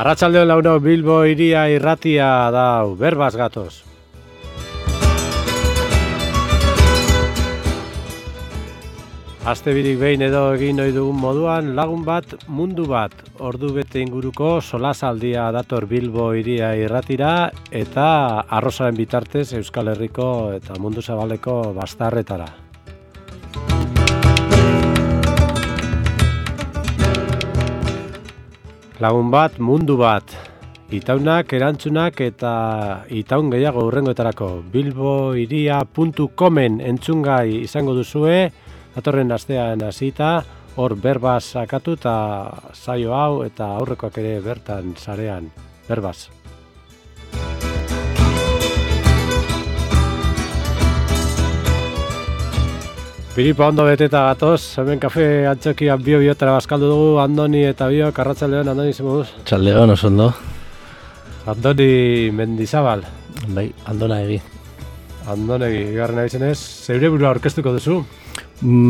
Arratsalde on launok, Bilbo hiria irratia dau, berbaz gatoz. Aste birik behin edo egin ohi dugun moduan, lagun bat, mundu bat, ordu bete inguruko solasaldia dator Bilbo hiria irratira eta arrozaren bitartez Euskal Herriko eta mundu zabaleko bastarretara. Lagun bat, mundu bat, itaunak, erantzunak eta itaun gehiago hurrengoetarako. bilbohiria.comen entzungai izango duzue, datorren astean hasita, hor berbaz sakatu eta saio hau eta aurrekoak ere bertan sarean, berbaz. Piripa ondo beteta gatoz, hemen kafe antzokian biotara bazkaldu dugu, Andoni eta Biok, arratsaldeon, Andoni zemuduz? Arratsaldeon, oso ondo. Andoni Mendizabal. Bai, Andonegi. Andonegi, garren abizenez, zeure burua aurkeztuko duzu?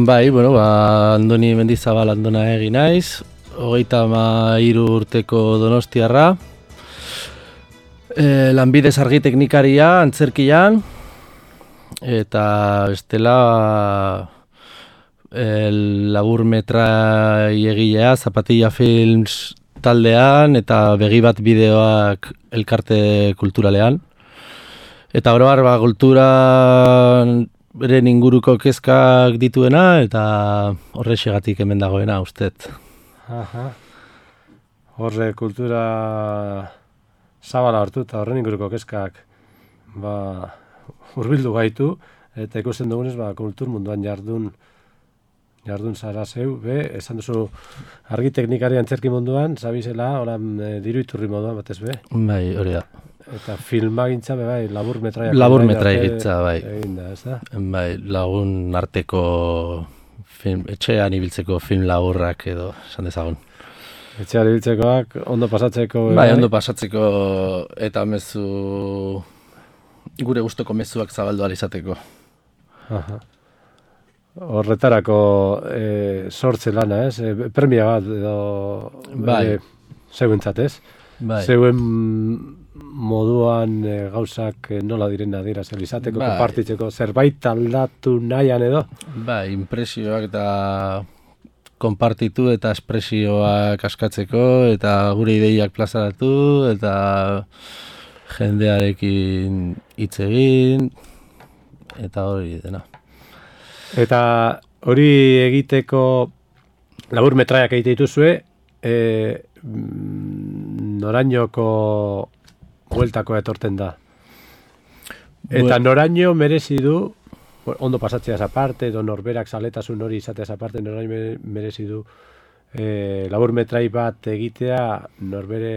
Bai, bueno, Andoni Mendizabal Andonegi naiz, 33 urteko donostiarra, lanbidez argi teknikaria, antzerkian, eta bestela labur metrai egilea, Zapatilla Films taldean eta begi bat bideoak elkarte kulturalean. Eta oro har kulturaren inguruko kezkak dituena eta horrexegatik hemen dagoena ustet. Aha. Horre kultura zabala hartu eta horren inguruko kezkak hurbildu gaitu eta ikusten dugunez kultur munduan jardun zara zeu, esan duzu argi teknikari antzerki munduan, zabizela, oran diru iturri moduan batez be? Bai, hori da. Eta filmagintza bai, labur metraia. Labur metraia bai. Eginda, ez da? Bai, lagun arteko etxean ibiltzeko film laburrak edo, esan dezagun. Etxean ibiltzekoak, ondo pasatzeko. Bai, ondo pasatzeko eta mezu, gure gustoko mezuak zabaldu ahal izateko. Aha. Horretarako sortze lana, ez? Premia bat edo zeuentzat, ez? Bai. Zeuen moduan gauzak nola diren adierazten izateko, konpartitzeko, zerbait aldatu nahian edo? Bai, impresioak eta konpartitu eta espresioak askatzeko eta gure ideiak plazaratu eta jendearekin hitz egin eta hori dena. Eta hori egiteko labur metraiak egite dituzue, norainoko bueltako etorten da. Eta noraino merezi du, ondo pasatzeaz aparte, edo norberak zaletasun hori izateaz aparte, noraino merezi du labur metrai bat egitea norbere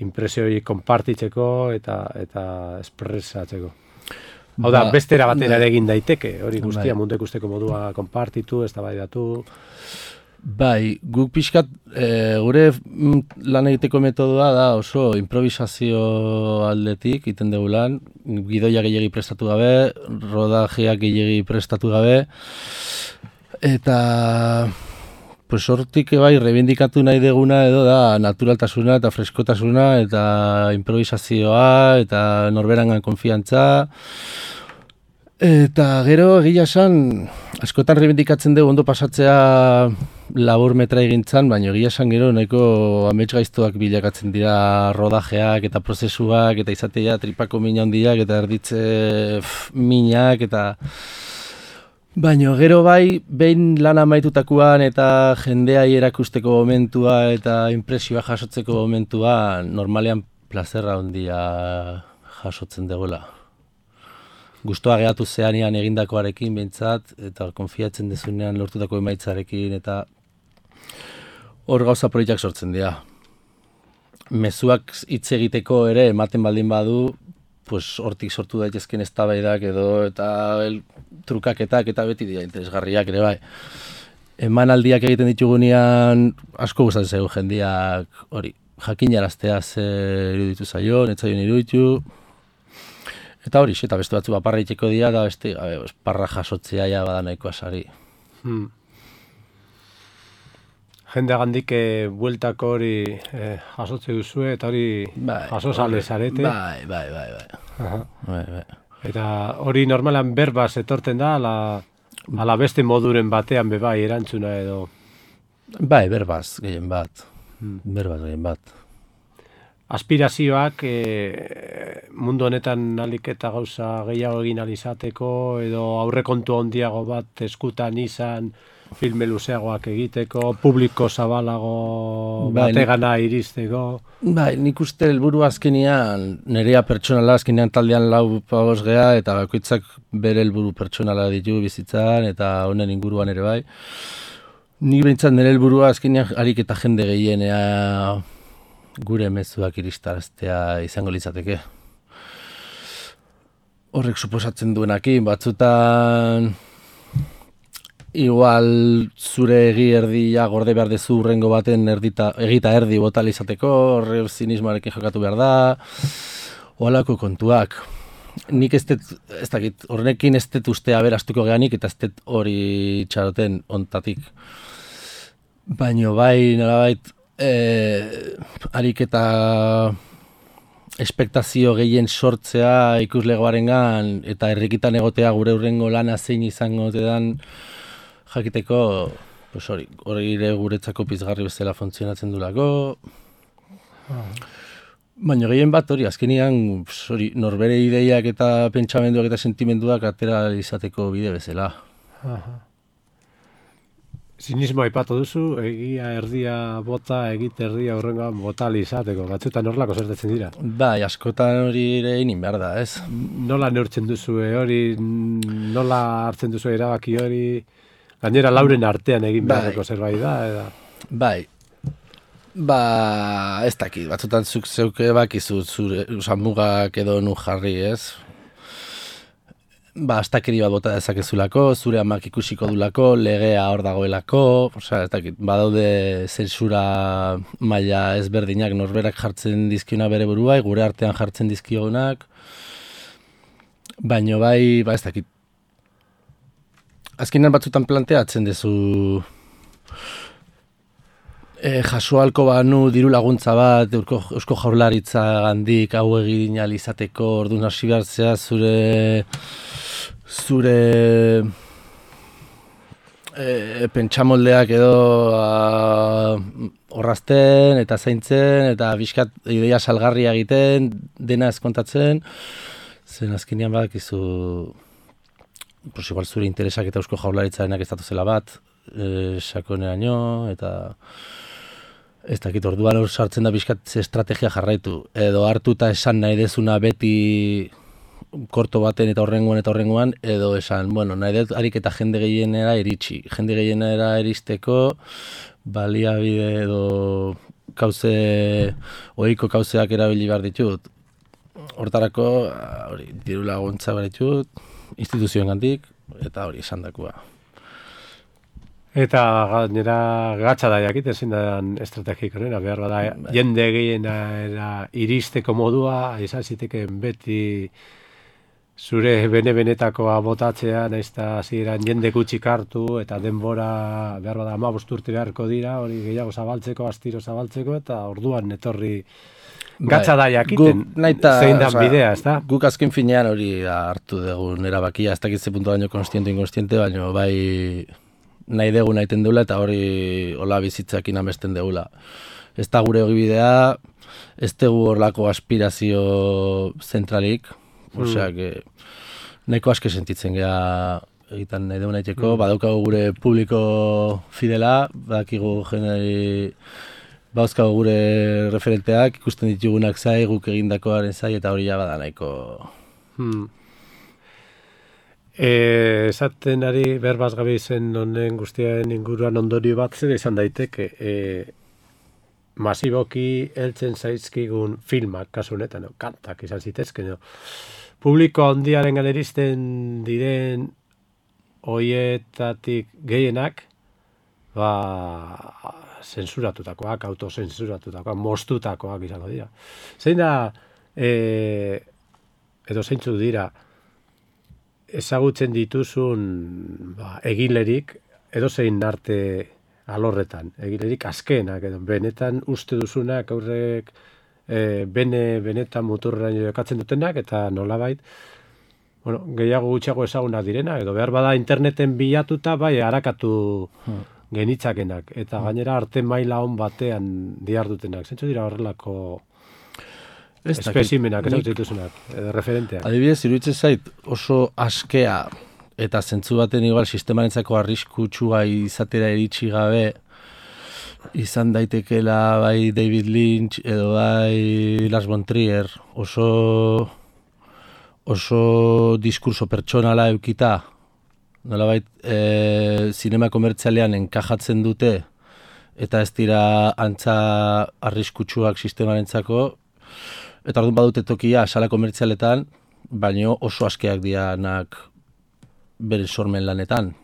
impresioi konpartitzeko eta espresatzeko. Hau da, bestera batera egin daiteke, hori guztia mundu ikusteko modua konpartitu, eztabaidatu. Bai, guk pixkat gure lan egiteko metodoa da oso improvisazio aldetik iten dugu lan, gidoia gehiagi prestatu gabe, rodajeak gehiagi prestatu gabe, eta pues hortik bai reivindikatu nahi deguna edo da naturaltasuna eta freskotasuna eta improvisazioa eta norberangan konfiantza. Eta gero egia esan askotan reivindikatzen dugu ondo pasatzea labur metra egintzan, baina egia esan gero nahiko amets gaiztoak bilakatzen dira rodajeak eta prozesuak eta izatea tripako mina handiak eta erditze minak eta baina gero bai, behin lan amaitutakoan eta jendeai erakusteko momentua eta impresioa jasotzeko momentua normalean plazerra handia jasotzen dugula. Gustoa gehatu zeanean egindakoarekin behintzat eta konfiatzen dezunean lortutako emaitzarekin eta hor gauza proiektuak sortzen dira. Mezuak hitz egiteko ere ematen baldin badu, pues hortik sortu daitezken eztabaidak edo eta trukaketak eta beti dira interesgarriak ere bai. Emanaldiak egiten ditugunean asko gustatzen zaigu jendeak hori jakinaraztea ze iruditu zaion, ez zaion iruditu. Eta hori, eta beste batzu baparra itxeko dira, da beste parra jasotzea ja bada nahikoa sari. jendeagandik bueltako hori jasotze duzue, eta hori jasozale zarete. Bai. Eta hori normalan berbaz etorten da, ala beste moduren batean bebai erantzuna edo. Bai, berbaz gehien bat. Aspirazioak mundu honetan alik eta gauza gehiago egin alizateko, edo aurrekontu handiago bat eskutan izan, filme luzeagoak egiteko, publiko zabalago bategana iristeko. Bai, nik uste helburu azkenean, nerea pertsonala azkenean taldean 4 pagoz gea, eta bakoitzak bere helburu pertsonala ditu bizitzan, eta honen inguruan ere bai. Nik behintzat nire helburua azkenean harik eta jende gehienea gure mezuak iristaraztea izango litzateke. Horrek suposatzen duenakin, batzutan igual zure egi erdia gorde behar dezu urrengo baten egita erdi botal izateko, horre zinismoarekin jokatu behar da, holako kontuak. Nik ez dakit, horrekin ez dut ustea berastuko geanik, eta ez dut hori txaroten ontatik. Baina bai, nolabait, harik eta espektazio gehien sortzea ikuslegoarengan eta herrikitan egotea gure urrengo lana zein izango dan jakiteko, hori ere guretzako pizgarri bezala funtzionatzen dulako. Baina gehien bat hori, azkenean norbere ideiak eta pentsamenduak eta sentimenduak atera izateko bide bezala. Zinismo aipatu duzu, egia erdia bota, egite erdia horrengoan bota izateko, batzuetan horrelako zertetzen dira. Bai, askotan hori ere inin behar da, ez? Nola neurtzen duzu hori, nola hartzen duzu erabaki hori, gainera lauren artean egin beharreko zerbait da, eda? Bai, ez dakit, batzutan zuk zeuke bakizu zure mugak edo nu jarri, ez? Astakeri bat bota dezakezulako, zure amak ikusiko dulako, legea hor dagoelako, ez dakit, badaude zensura maila ezberdinak norberak jartzen dizkiona bere buruai, gure artean jartzen dizkionak, baino bai, ez dakit. Azkenean batzutan planteatzen dezu jasoalko banu diru laguntza bat Eusko Jaurlaritza gandik hau egin ahal izateko, orduan hasi behartzea zure pentsamoldeak edo orrazten eta zaintzen eta bizkat ideia salgarria egiten, dena ezkontatzen, zen azkenean badakizu igual zure interesak eta Eusko Jaurlaritzarenak ez datuzela bat, sakoneraino eta ez dakit orduan hor sartzen da bizkat estrategia jarraitu, edo hartu eta esan nahi dezuna beti korto baten eta horrengoan, edo esan, nahi dut harik eta jende gehienera iritsi. Jende gehienera iristeko, baliabide edo ohiko kauzeak erabili behar ditut. Hortarako, diru laguntza behar ditut, instituzioen gandik, eta hori esan dakua. Eta gainera gatsa da jakit ezin da estrategik horrena, behar bada jende gehienera iristeko modua, izan zitekeen beti zure bene-benetakoa botatzea, nahiz eta hasieran jende gutxik hartu eta denbora behar bada 15 urte beharko dira, hori gehiago zabaltzeko, astiro zabaltzeko, eta orduan etorri gatsa da jakiten, zein da bidea, ez da? Guk azken finean hori hartu dugun erabakia, ez dakit ze puntu baino konstiente, baino bai nahi dugu nahiten deula eta hori hola bizitzakin amesten deula. Ez da gure ogibidea, ez dugu horlako aspirazio zentralik, oseak nahiko aske sentitzen geha egiten nahi dugu nahiteko, badaukagu gure publiko fidela, badakigu jeneri bauzkagu gure referenteak, ikusten ditugunak zai, guk egindakoaren zai, eta hori ja bada nahiko. Esaten ari berbaz gabe izen honen guztiaren inguruan ondorio bat zer izan daiteke masiboki heltzen zaizkigun filmak, kasu honetan, kantak izan zitezken, publiko handiaren ganeristen diren hoietatik gehienak zensuratutakoak, autozensuratutakoak, moztutakoak izango dira. Zein da, edo zeintzu dira, ezagutzen dituzun egilerik, edozein arte alorretan, egilerik azkenak, edo benetan uste duzunak aurrek benetan muturreraino jokatzen dutenak, eta nolabait, bueno, gehiago gutxiago ezagunak direna, edo behar bada interneten bilatuta, bai, harakatu genitzakenak, eta gainera arte maila on batean diardutenak. Zentzu dira horrelako espezimenak, ez dituzunak, edo referenteak. Adibidez, iruditzen zait oso askea, eta zentzu baten igual sistemarentzako arriskutsua izatera iritsi gabe, izan daitekela bai David Lynch edo bai Lars von Trier, oso diskurso pertsonala eukita, nolabait zinema komertzialean enkajatzen dute, eta ez dira antza arriskutsuak sistemarentzako, eta orduan badute tokia sala komertzialetan, baino oso askeak dianak bere sormen lanetan.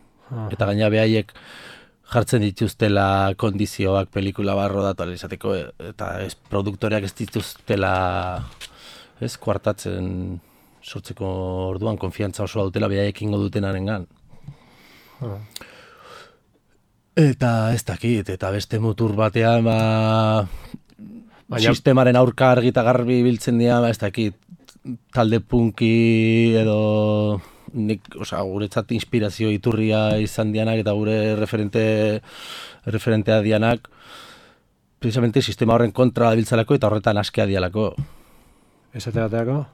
Eta gaina behaiek jartzen dituztela kondizioak pelikula barro datu izateko, eta produktoreak ez dituztela kuartatzen sortzeko orduan konfiantza oso dutela behaiek ingo dutenarengan. Eta ez dakit, eta beste mutur batean sistemaren aurka argi eta garbi biltzen dira, ez dakit, talde punki edo guretzat inspirazio iturria izan dianak eta gure referentea dianak, precisamente sistema horren kontra biltzalako eta horretan askea dialako. Ez aterateako?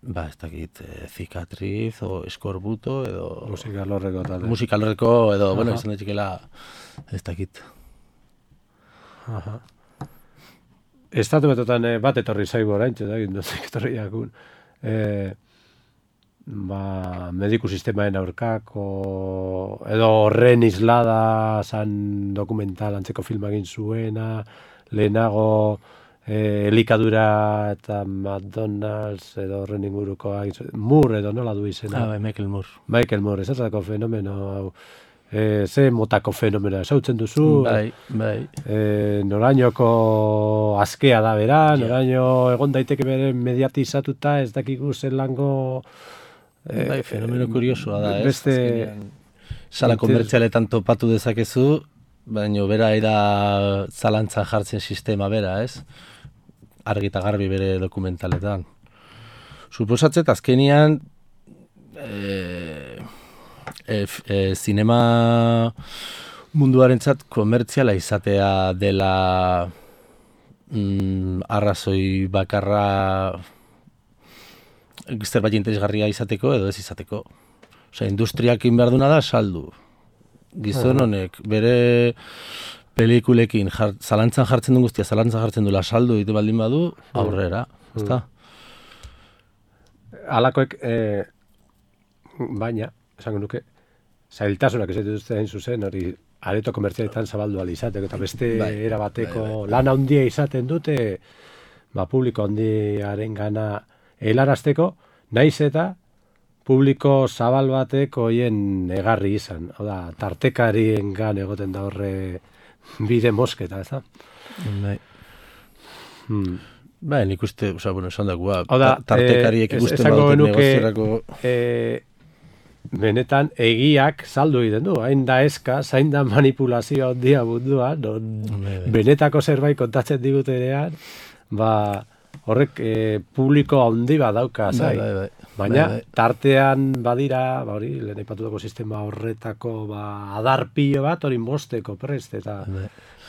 Ez dakit, Cicatriz o Eskorbuto edo... Musikalorreko talde. Musikalorreko edo, bueno, izan daitxikela, ez dakit. Estatu betotan bat etorri zaigu orain, nozik etorri jakun. Mediku sistemaen aurkako, edo horren islada zan dokumental antzeko filma egin zuena, lehenago elikadura eta McDonald's edo horren inguruko Moore edo nola du izena. Michael Moore. Michael Moore, ez azatako fenomeno hau. Ze motako fenomena esautzen duzu? Bai. Norainoko askea da bera, noraino egon daiteke bere mediatizatuta, ez dakigu zelango... fenomeno kuriosoa da, ez? Beste... Sala komertzialetan topatu dezakezu, baina bera da zalantzan jartzen sistema bera, ez? Argi eta garbi bere dokumentaletan. Suposatzet, azkenian... zinema munduarentzat komertziala izatea dela arrazoi bakarra zerbait interesgarria izateko edo ez izateko. Industriak behar duna da saldu. Gizon honek bere pelikulekin zalantzan jartzen duen guztia, zalantzan jartzen duela saldu ditu baldin badu, aurrera. Ezta? Alakoek, baina, esango nuke, zailtasunak ez dituzte hain zuzen, hori areto komertzialetan zabaldu alizateko, eta beste erabateko lan handia izaten dute, publiko handiaren gana helarazteko, naiz eta publiko zabal batek hoien egarri izan. Hau da, tartekarien gan egoten da horre bide mosketa, ez da? Nik uste, esan dagoa, tartekariek ikusten baduten negozierako... Benetan, egiak saldu egiten du, hain da eska, zain da manipulazioa ondia munduan, benetako zerbait kontatzen digutenean, horrek publiko handi bat dauka, baina tartean badira, hori, lehen aipatutako sistema horretako adarpilo bat, hori mosteko prest, eta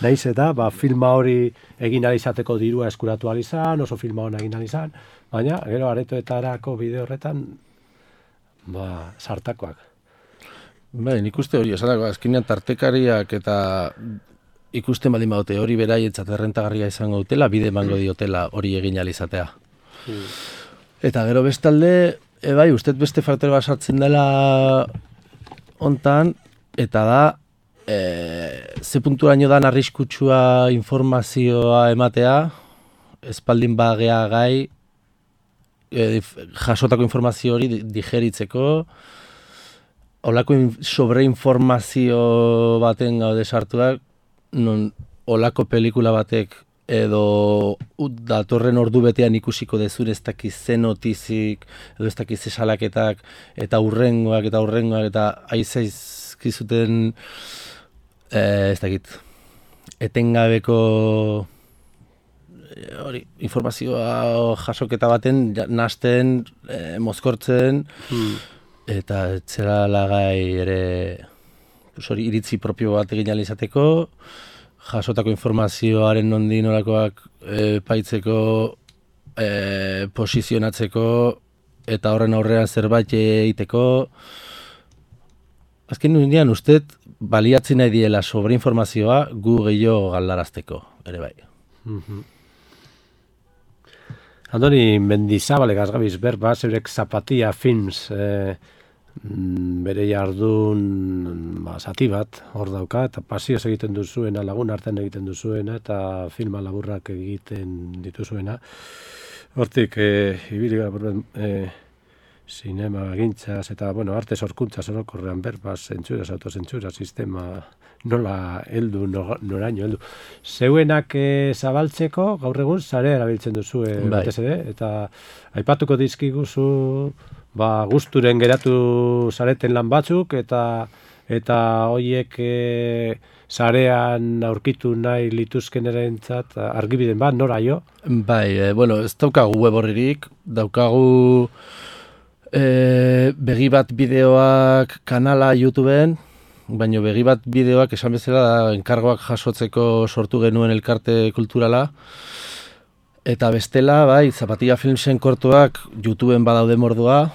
naiz eta filma hori egin alizateko dirua eskuratu alizan, oso filma hona egin alizan, baina, gero aretoetarako bide horretan, sartakoak. Nik uste hori, esan dago, azkenean tartekariak eta ikusten baldin baute hori beraientzat errentagarria izango dutela, bide emango diotela hori egin alizatea. Eta gero bestalde, uste beste faktore bat sartzen dela hontan, eta da, ze punturaino dan arriskutsua informazioa ematea, espaldin bagea gai, jasotako informazio hori digeritzeko, olako sobreinformazio baten gaude sartuak, non olako pelikula batek edo datorren ordu betean ikusiko dezure ez dakiz ze notizik, edo ez dakiz ze salaketak, eta hurrengoak, eta aizaizkizuten Ez dakit, etengabeko hori, informazioa jasoketa baten nasten, mozkortzen, eta etzera lagai ere hori iritzi propio bat egin ahal izateko, jasotako informazioaren nondi norakoak paitzeko, posizionatzeko, eta horren aurrean zerbait egiteko. Azken nirean ustez baliatzen nahi diela sobreinformazioa gu gehiago galdarazteko, ere bai. Andoni Mendizabale gazgabiz berba, zeurek Zapatia Films bere jardun zati bat hor dauka, eta pasioz egiten duzuena, lagun artean egiten duzuena, eta filma laburrak egiten dituzuena. Hortik, ibili gara sinema gintzaz, eta, arte sorkuntzaz orokorrean berbaz, zentsuraz, autozentsura, sistema, nola heldu, noraino heldu. Zeuenak zabaltzeko, gaur egun, sare erabiltzen duzu batez ere, eta aipatuko dizkiguzu, gusturen geratu zareten lan batzuk, eta hoiek sarean aurkitu nahi lituzkenerentzat argibiden bat, nora jo? Bai, ez daukagu web horririk, daukagu begi bat bideoak kanala YouTubeen, baina begi bat bideoak esan bezala enkargoak jasotzeko sortu genuen elkarte kulturala, eta bestela, bai, Zapatia Filmsen kortuak YouTubeen badaude mordua,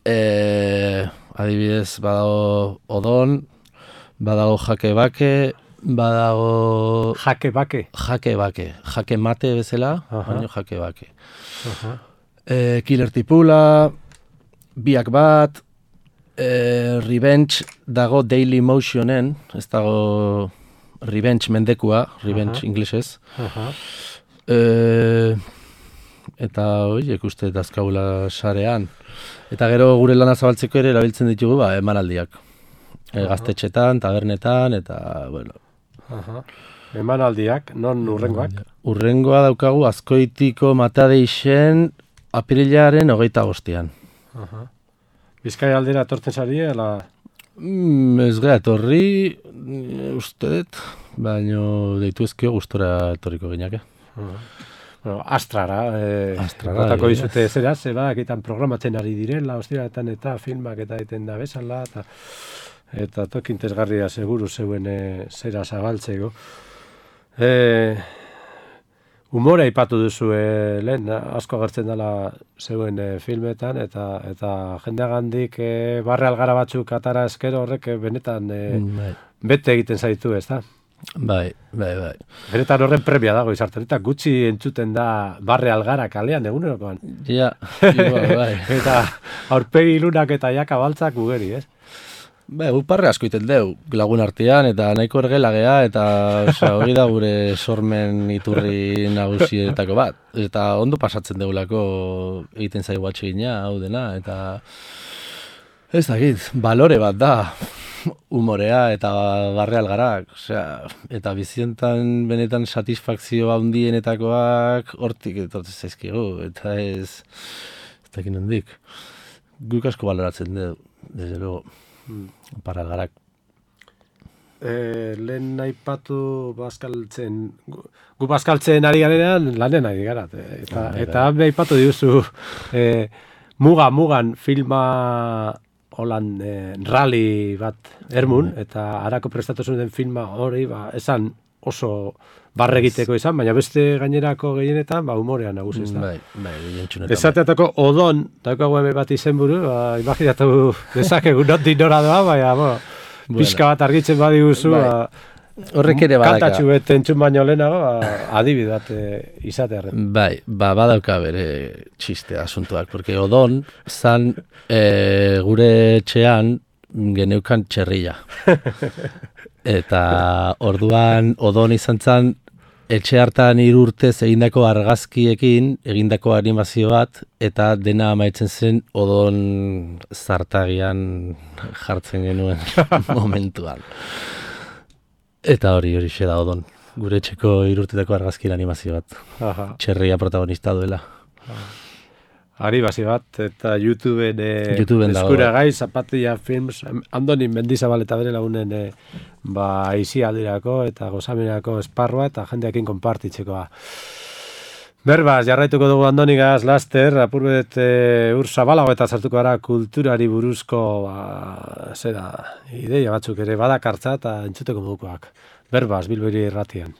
adibidez badago Odon, badago Jake Bake, badago... Jake Bake? Jake Mate bezala, baina Jake Bake. Killer Tipula, biak bat, Revenge dago Daily Motionen, ez dago Revenge mendekua, Revenge inglesez. Eta horiek uste dazkaula sarean. Eta gero gure lana zabaltzeko ere erabiltzen ditugu emanaldiak. Gaztetxetan, tabernetan, eta, bueno. Emanaldiak, non urrengoak? Urrengoa daukagu Azkoitiko Matadeixen apirilaren 25. Bizkaia aldera etortzen zari, ala? Ez gara etorri, ustedet, baina deitu ezkio gustora etorriko gineak. Astrara, botako dizute zera, ekitan programatzen ari direla, ostiraletan eta filmak eta egiten da bezala, eta tokintezgarria seguru zeuen zera zabaltzeko. Humora aipatu duzu lehen, asko agertzen dela zeuen filmetan, eta jendeagandik barre algara batzuk atara eskero horrek benetan bete egiten zaitu, ez da? Bai. Benetan horren premia dago izartzen, eta gutxi entzuten da barre algara kalean egunerokoan. Ja, bai. Eta aurpegi ilunak eta jaka baltzak ugeri, ez? Bai, parre asko iten deu, lagun artean, eta nahiko ergela gea, eta hori da gure sormen iturri nagusietako bat. Eta ondo pasatzen deulako egiten zaigu atxegina, hau dena, eta ez dakit, balore bat da. Humorea eta barre algarak, eta bizientan benetan satisfakzio handienetakoak hortik etortzen zaizkigu, eta ez dakin hondik. Guk asko baloratzen dugu, desde luego, barre algarak. Lehen aipatu bazkaltzen, gu bazkaltzen ari garenean lanen ari gara, eta aipatu diguzu mugan filma holan rally bat ermun, eta harako prestatu zuen filma hori, esan oso barregiteko izan, baina beste gainerako gehienetan, humorean nagusi ez da. Bai, esateatako Odon, daukagu hemen bat izenburu, imaginatu dezakegu nondik nora doa, baina, pixka bat argitzen badiguzu, horrek ere badaka. Kantatxu bete entzun baino lehenago, adibidat izatearen. Bai, badauka bere txiste asuntuak, porque Odon zan gure etxean geneukan txerrilla. Eta orduan Odon izan zan etxe hartan 3 urtez egindako argazkiekin, egindako animazio bat, eta dena amaitzen zen Odon zartagian jartzen genuen momentuan. Eta hori da Odon. Gure etxeko 3 urtetako argazkien animazio bat. Txerria protagonista duela. Aribasi bat, eta YouTubeen eskuragai, Zapatilla Films, Andoni Mendizabal eta bere lagunen aisialdirako eta gozamenako esparroa eta jendeakin konpartitzekoa. Berbaz, jarraituko dugu Andonigaz, laster, apurbet ur zabalago eta sartuko gara kulturari buruzko ideia batzuk ere badakartza eta entzuteko modukoak. Berbaz, Bilbiri irratian.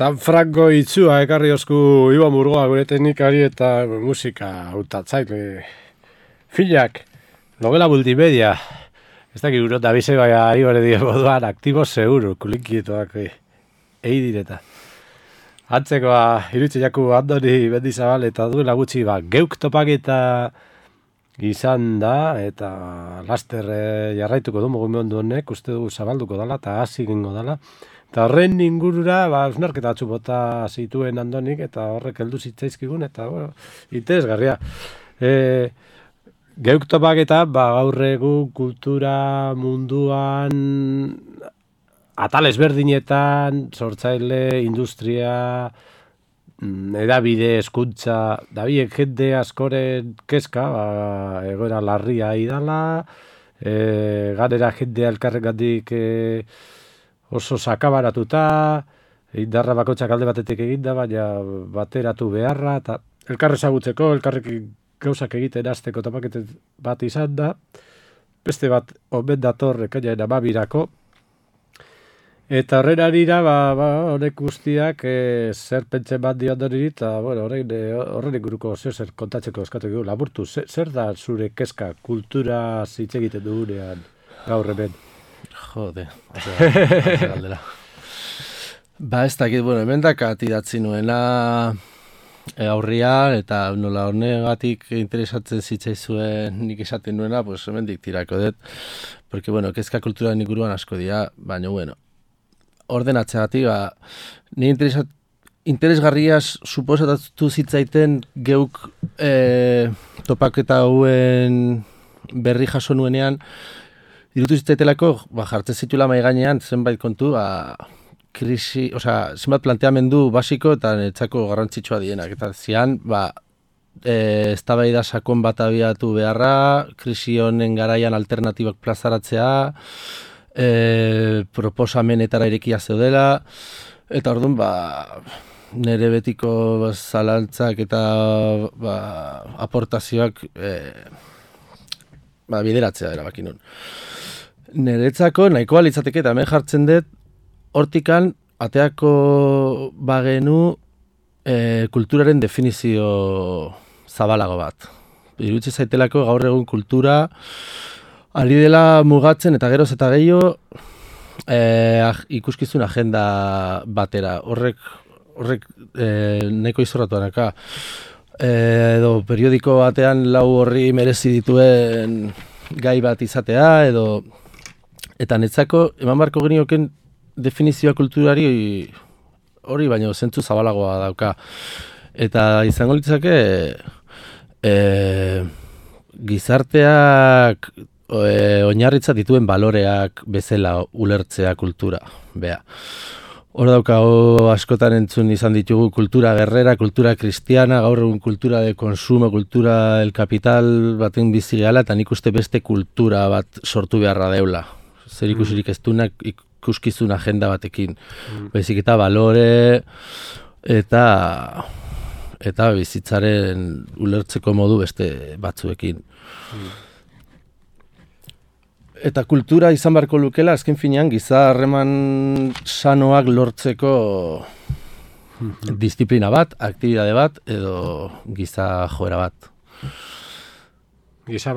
San Franco itzua ekarri osku Iban Burgoa gure teknikari eta musika hautatzaile filak Novela multimedia. Ez dakit urot da bize bai ari bere dio moduan, aktibo seguro, kulinkietoak direta. Antzekoa, irutxe jaku Andoni Mendizabal eta duela gutxi geuk topaketa izan da, eta laster jarraituko du mugimendu honek, uste du zabalduko dela, eta hasi egingo dela. Eta horren ingurura, usnarketa atzu bota zituen Andonik, eta horrek heldu zitzaizkigun, eta, interesgarria. Geuk topaketa, gaur egun kultura munduan atal ezberdinetan, sortzaile, industria, edabide, hezkuntza, dabiek jende askoren kezka, egoera larria idala, ganera jende elkarrengatik oso sakabaratuta, indarra bakotxak alde batetik eginda, baina bateratu beharra, eta elkarre ezagutzeko, elkarrekin gauzak egiten hasteko topaketen bat izan da, beste bat omen dator ekainaren 12-rako, eta horren arira, honek guztiak zer pentsen bat dio Andoniri, eta horren inguruko zer kontatzeko eskatu dugu, laburtu, zer da zure kezka kultura hitz egiten dugunean gaur hemen? Jode, galdera. Ez dakit, hemen dakat idatzi nuena aurria, eta nola honegatik interesatzen zitzaizuen nik esaten nuena, hemen tirako dut, porque, kezka kulturaren inguruan asko dira, baina, ordenatzeagatik, ni interesgarriaz suposatu zitzaiten geuk topaketa hauen berri jaso nuenean, irutu zitzaitelako, jartzen zituela mahai gainean zenbait kontu, krisi, zenbat planteamendu basiko eta netzako garrantzitsua dienak. Eta zian, eztabaida sakon bat abiatu beharra, krisi honen garaian alternatibak plazaratzea, proposamenetara irekia zeudela, eta orduan, nire betiko zalantzak eta aportazioak bideratzea erabaki nun. Niretzako nahikoa litzateke eta hemen jartzen dut, hortikan ateako bagenu kulturaren definizio zabalago bat. Irutze zaitelako gaur egun kultura ari dela mugatzen eta geroz eta gehiago ikuskizun agenda batera. Horrek nahiko izorratuanaka. Edo periodiko batean lau horri merezi dituen gai bat izatea, eta netzako eman barko genioken definizioa kulturari hori baino zentzu zabalagoa dauka. Eta izango litzake gizarteak oinarritzat dituen baloreak bezala ulertzea kultura. Hor daukago askotan entzun izan ditugu kultura guerrera, kultura kristiana, gaur egun kultura de konsumo, kultura del kapital baten bizi gehala, eta nik uste beste kultura bat sortu beharra deula. Zer ikusirik ez duenak ikuskizun agenda batekin. Baizik eta balore eta bizitzaren ulertzeko modu beste batzuekin. Eta kultura izan beharko lukela, azken finean, giza harreman sanoak lortzeko disiplina bat, aktibidade bat, edo giza joera bat. Giza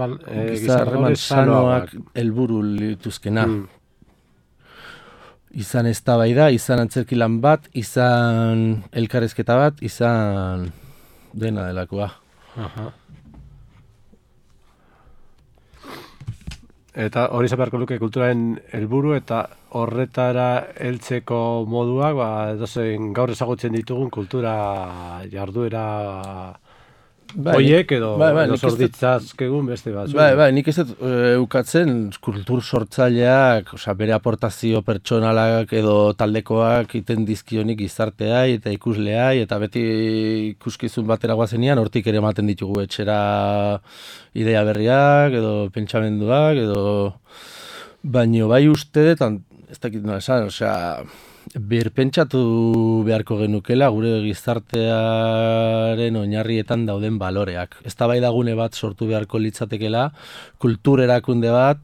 harreman sanoak helburu lituzkena. Izan eztabaida, izan antzerkilan bat, izan elkarrezketa bat, izan dena delakoa. Eta hori zabeharko luke kulturaren helburu eta horretara heltzeko moduak, edozein gaur ezagutzen ditugun kultura jarduera hoiek edo zorditzazkegun beste bat. Nik ez dut eukatzen kultur sortzaileak, bere aportazio pertsonalak edo taldekoak iten dizkionik gizartea eta ikuslea, eta beti ikuskizun batera guazenean hortik ere ematen ditugu etxera idea berriak edo pentsamenduak edo baino bai uste dut, ez dakit nola esan, birpentsatu beharko genukela gure gizartearen oinarrietan dauden baloreak. Eztabaidagune bat sortu beharko litzatekela, kultur erakunde bat,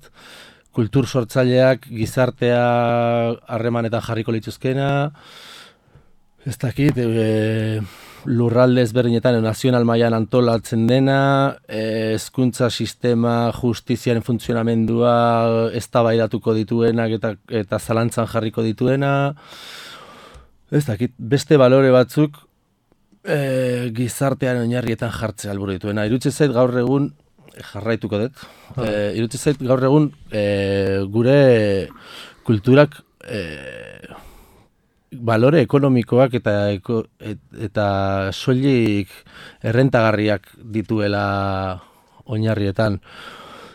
kultur sortzaileak gizartea harremanetan jarriko lituzkena, Ez dakit, lurralde ezberdinetan nazional mailan antolatzen dena, hezkuntza sistema, justiziaren funtzionamendua eztabaidatuko dituenak eta zalantzan jarriko dituena. Ez dakit, beste balore batzuk gizartean oinarrietan jartzea helburu dituena. Iruditzen zait gaur egun jarraituko dut. Iruditzen zait gaur egun gure kulturak balore ekonomikoak eta soilik errentagarriak dituela oinarrietan.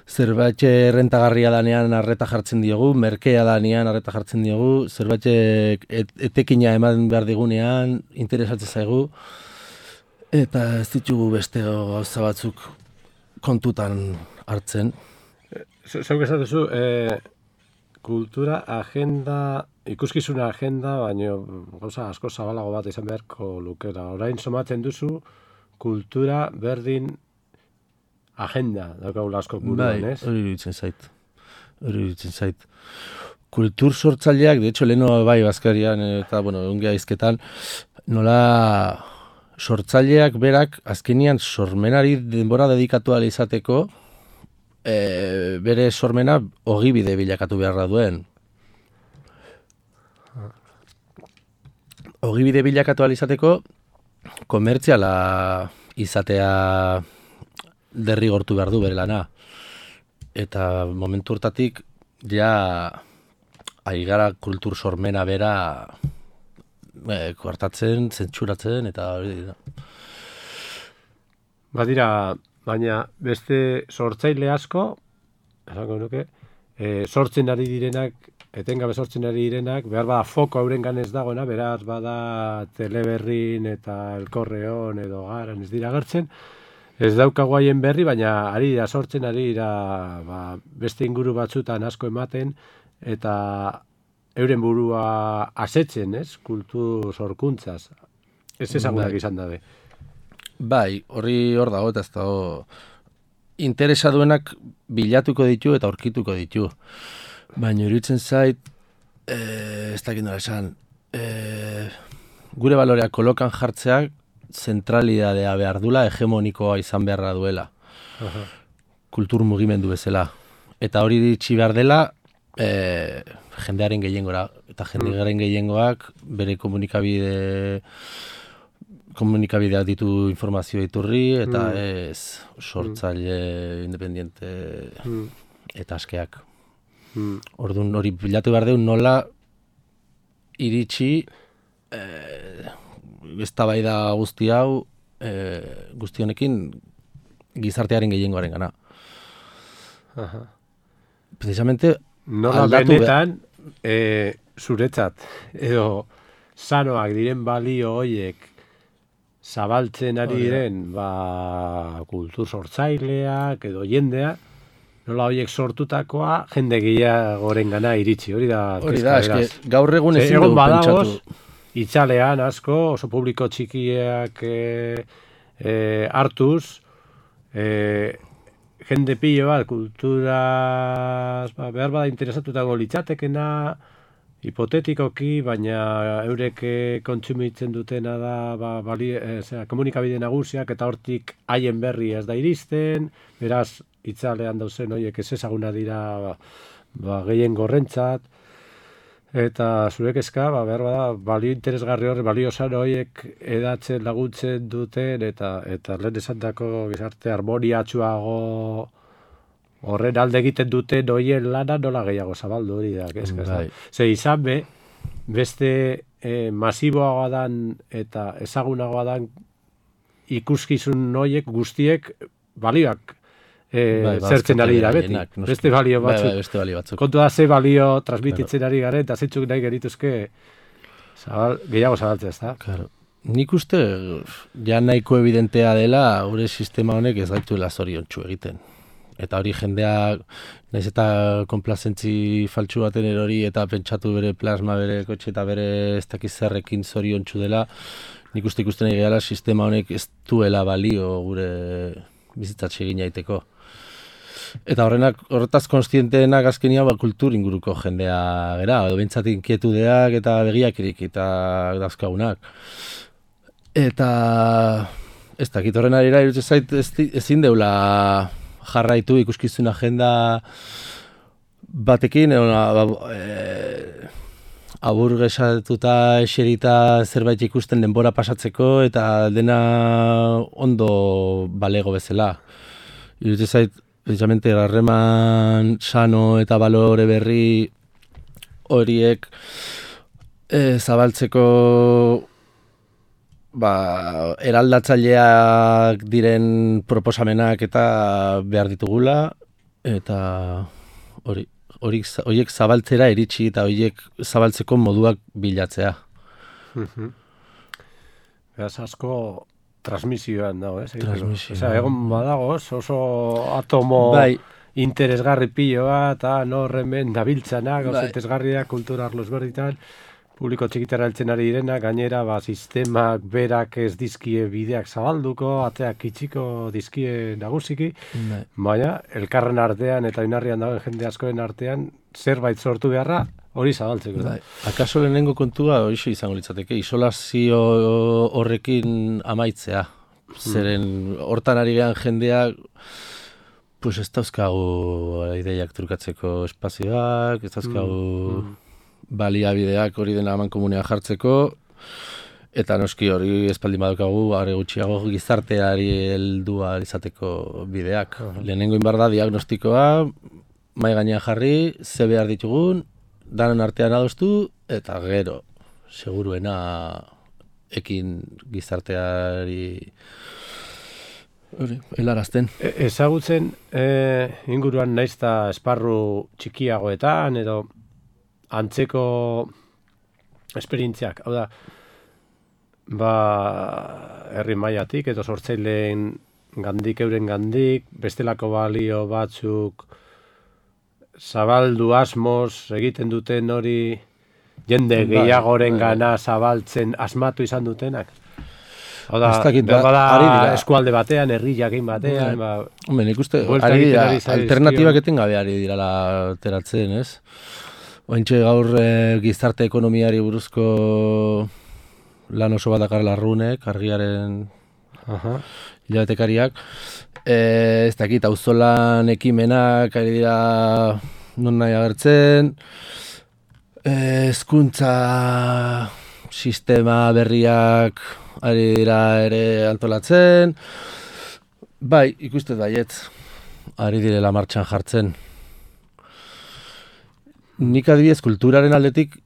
Zerbait errentagarria danean arreta jartzen diogu, merkea danean arreta jartzen diogu, zerbait etekina eman behar digunean, interesatzen zaigu, eta ez ditugu beste gauza batzuk kontutan hartzen. Zeuk esan duzu, kultura agenda, ikuskizuna agenda, baina gauza asko zabalago bat izan beharko lukera. Orain somatzen duzu, kultura berdin agenda, daukagula asko buruan, ez? Hori iruditzen zait. Kultur sortzaileak, de hecho, leheno bai bazkarian eta, ongia izketan, nola sortzaileak berak azkenian sormenari denbora dedikatu ala izateko, bere sormena ogibide bilakatu beharra duen. Ogibide bilakatu ala izateko, komertziala izatea derrigortu behar du bere lana. Eta momentu hortatik, ja, aigara kultur sormena bera koartatzen, zentsuratzen, eta hori dira. Badira, baina beste sortzaile asko, esango nuke, sortzen ari direnak, etengabe sortzen ari direnak, behar bada foko haurengan ez dagoena, beraz bada Teleberrin eta El Correon edo Garan ez dira agertzen, ez daukagu haien berri, baina ari dira sortzen, ari dira beste inguru batzutan asko ematen, eta euren burua asetzen, ez? Kultur sorkuntzaz. Ez ezagunak izan dabe. Bai, hor dago eta ez dago interesa duenak bilatuko ditu eta aurkituko ditu. Baina iruditzen zait, ez dakit nola esan, gure baloreak kolokan jartzeak zentralidadea behar dula, hegemonikoa izan beharra duela. Kultur mugimendu bezala. Eta hori ditxi behar dela, jendearen gehiengora. Eta jendearen gehiengoak bere komunikabideak ditu informazio iturri, eta ez sortzaile independiente eta askeak. Orduan hori bilatu behar deun nola iritsi eztabaida guzti hau guzti honekin gizartearen gehiengoaren gana. Precisamente nola benetan zuretzat edo sanoak diren balio hoiek zabaltzen ari diren kultur sortzaileak edo jendea, nola horiek sortutakoa jende gehiagoren gana iritsi, hori da. Hori da, eske gaur egun ezin dugu pentsatu. Itzalean asko, oso publiko txikiak hartuz, jende pilo bat, kulturaz, behar bada interesatutako litzatekena, hipotetikoki, baina eurek kontsumitzen dutena da komunikabide nagusiak, eta hortik haien berri ez da iristen, beraz, itzalean dauzen horiek ez ezaguna dira gehien gorrentzat, eta zurek eska, behar bada, balio interesgarri horre, balio sano horiek edatzen laguntzen duten, eta lehen esandako gizarte harmoniatsuago horren alde egiten duten horien lana nola gehiago zabaldu hori da. Ze izan beste masiboagoa dan eta ezagunagoa dan ikuskizun horiek guztiek balioak zertzen ari dira beti. Beste balio batzuk. Kontu da ze balio transmititzen ari garen, eta zeitzuk nahi gerituzke gehiago zabaltzea, ez da? Claro. Nik uste, ja nahiko evidentea dela, gure sistema honek ez gaituela zoriontsu egiten. Eta hori jendeak, nahiz eta konplazentzi faltsu baten erori eta pentsatu bere plasma, bere kotxe eta bere ez dakiz zerrekin zoriontsu dela, nik uste ikusten nahi gehala sistema honek ez duela balio gure bizitzatxe egin jaiteko. Eta horretaz konstienteenak azkenia kultur inguruko jendea gera, edo bintzat inkietudeak eta begiak irikita dazkagunak. Eta ez dakit horren arira irutzen zait ezin deula jarraitu ikuskizun agenda batekin, aburgesatuta eserita zerbait ikusten denbora pasatzeko eta dena ondo balego bezala. Irutzen zait, precisamente, harreman sano eta balore berri horiek zabaltzeko eraldatzaileak diren proposamenak eta behar ditugula, eta horiek zabaltzera iritsi eta horiek zabaltzeko moduak bilatzea. Beraz asko transmisioan dago, Transmisioan. Osea, egon badago, oso atomo interesgarri piloa, eta norremen dabiltzanak, oso interesgarriak kultura arlo ezberditan, publiko txikitara heltzen ari direna, gainera sistemak berak ez dizkie bideak zabalduko, ateak itxiko dizkie nagusiki, baina elkarren artean eta oinarrian dagoen jende askoen artean zerbait sortu beharra hori zabaltzeko. Akaso lehenengo kontua hori izango litzateke, isolazio horrekin amaitzea. Zeren hortan ari gehan jendeak pues ez dauzkagu ideiak trukatzeko espazioak, ez dauzkagu baliabideak hori dena amankomunean jartzeko, eta noski hori espaldin badukagu are gutxiago gizarteari heldua izateko bideak. Lehenengo inbar da diagnostikoa, mahai gainean jarri, ze behar ditugun, danon artean adostu, eta gero, seguruena ekin gizarteari helarazten. Ezagutzen inguruan naizta esparru txikiagoetan edo antzeko esperientziak, hau da, herri mailatik edo sortzaileen gandik, euren gandik, bestelako balio batzuk zabaldu asmoz egiten duten hori jende gehiagoren gana zabaltzen asmatu izan dutenak. Hau da, bada eskualde batean, herri jakin batean. Nik uste, alternatibak etengabe ari dirala ateratzen, ez? Ointxe gaur gizarte ekonomiari buruzko lan oso bat dakar Larrunek, argiaren hilabetekariak. Ez dakit, auzolan ekimenak ari dira non nahi agertzen, hezkuntza sistema berriak ari dira ere antolatzen. Bai, ikustet baiet, ari direla martxan jartzen. Nik adibidez kulturaren aldetik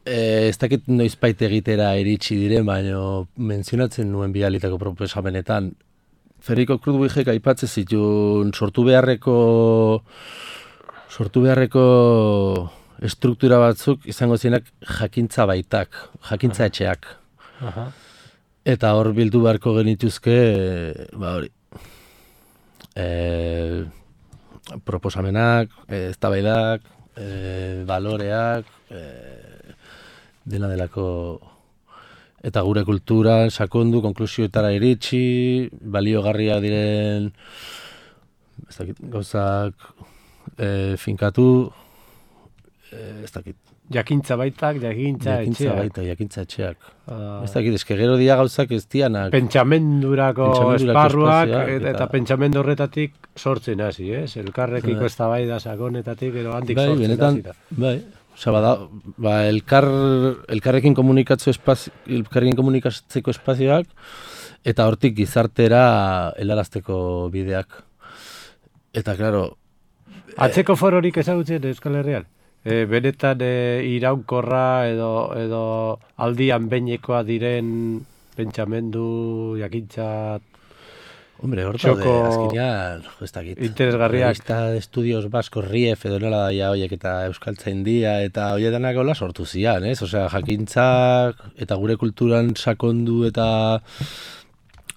ez dakit noizbait egitera iritsi diren, baina menzionatzen nuen bidalitako proposamenetan. Federico Krutwigek aipatzen zituen sortu beharreko estruktura batzuk izango zirenak jakintza baitak, jakintza etxeak. Eta hor bildu beharko genituzke, proposamenak, eztabaidak, baloreak, dena delako, eta gure kulturan sakondu, konklusioetara iritsi, baliogarria diren gauzak finkatu, ez dakit. Jakintza baitak, jakintza etxeak. Ez dakit, eske gero dia gauzak ez dianak. Pentsamendurako esparruak eta pentsamendu horretatik sortzen hasi, ez? Elkarrekiko eztabaida sakonetatik edo handik sortzen hasi da. Bai, osea, elkarrekin komunikatzeko espazioak eta hortik gizartera helarazteko bideak. Eta, klaro... Atzeko fororik ezagutzen Euskal Herrian? Benetan iraunkorra edo aldian beinekoa diren pentsamendu, jakintza, hombre, horta de azkenean, ez dakit. Interesgarriak. Revista de Estudios Baskos Rief edo nola daia horiek eta Euskaltzaindia eta horietanak hola sortu zian, ez? Osea, jakintzak eta gure kulturan sakondu eta